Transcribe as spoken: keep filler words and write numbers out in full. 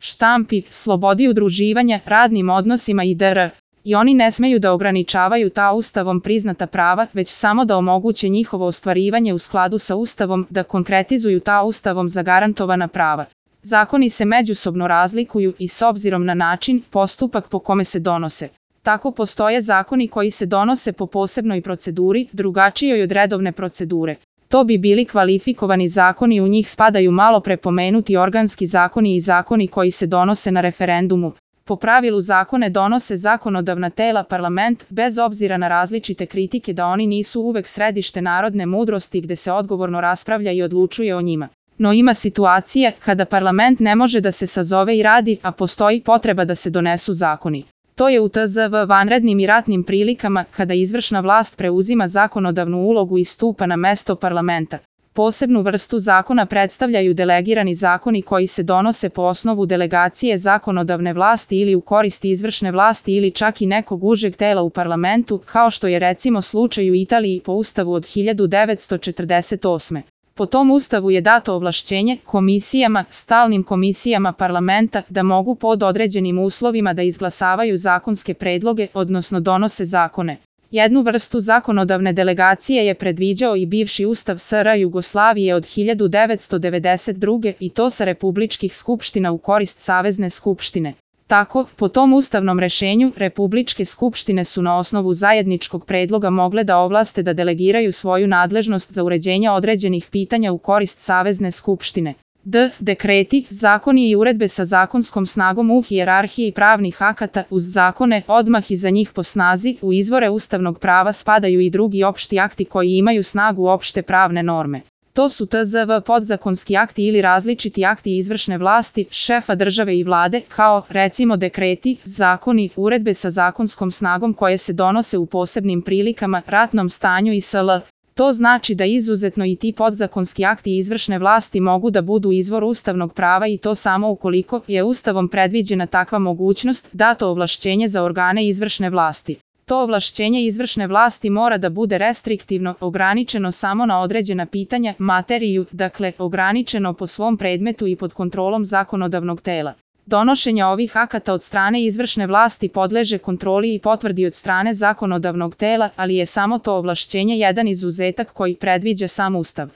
štampi, slobodi udruživanja, radnim odnosima itd. I oni ne smeju da ograničavaju ta Ustavom priznata prava, već samo da omoguće njihovo ostvarivanje u skladu sa Ustavom, da konkretizuju ta Ustavom zagarantovana prava. Zakoni se međusobno razlikuju i s obzirom na način, postupak po kome se donose. Tako postoje zakoni koji se donose po posebnoj proceduri, drugačijoj od redovne procedure. To bi bili kvalifikovani zakoni, u njih spadaju malo pre pomenuti organski zakoni i zakoni koji se donose na referendumu. Po pravilu zakone donose zakonodavna tela, parlament, bez obzira na različite kritike da oni nisu uvek središte narodne mudrosti gde se odgovorno raspravlja i odlučuje o njima. No ima situacije kada parlament ne može da se sazove i radi, a postoji potreba da se donesu zakoni. To je u T Z V vanrednim i ratnim prilikama kada izvršna vlast preuzima zakonodavnu ulogu i stupa na mesto parlamenta. Posebnu vrstu zakona predstavljaju delegirani zakoni koji se donose po osnovu delegacije zakonodavne vlasti ili u korist izvršne vlasti ili čak i nekog užeg tela u parlamentu, kao što je recimo slučaj u Italiji po Ustavu od hiljadu devetsto četrdeset osme. Po tom Ustavu je dato ovlašćenje komisijama, stalnim komisijama parlamenta da mogu pod određenim uslovima da izglasavaju zakonske predloge, odnosno donose zakone. Jednu vrstu zakonodavne delegacije je predviđao i bivši Ustav S R Jugoslavije od hiljadu devetsto devedeset druge i to sa republičkih skupština u korist Savezne skupštine. Tako, po tom ustavnom rešenju, republičke skupštine su na osnovu zajedničkog predloga mogle da ovlaste da delegiraju svoju nadležnost za uređenje određenih pitanja u korist Savezne skupštine. D. Dekreti, zakoni i uredbe sa zakonskom snagom u hijerarhiji pravnih akata, uz zakone, odmah iza njih po snazi, u izvore ustavnog prava spadaju i drugi opšti akti koji imaju snagu opšte pravne norme. To su T Z V podzakonski akti ili različiti akti izvršne vlasti, šefa države i vlade, kao, recimo, dekreti, zakoni, uredbe sa zakonskom snagom koje se donose u posebnim prilikama, ratnom stanju i sl. To znači da izuzetno i ti podzakonski akti izvršne vlasti mogu da budu izvor ustavnog prava i to samo ukoliko je Ustavom predviđena takva mogućnost, dato ovlašćenje za organe izvršne vlasti. To ovlašćenje izvršne vlasti mora da bude restriktivno, ograničeno samo na određena pitanja, materiju, dakle, ograničeno po svom predmetu i pod kontrolom zakonodavnog tela. Donošenje ovih akata od strane izvršne vlasti podleže kontroli i potvrdi od strane zakonodavnog tela, ali je samo to ovlašćenje jedan izuzetak koji predviđa sam Ustav.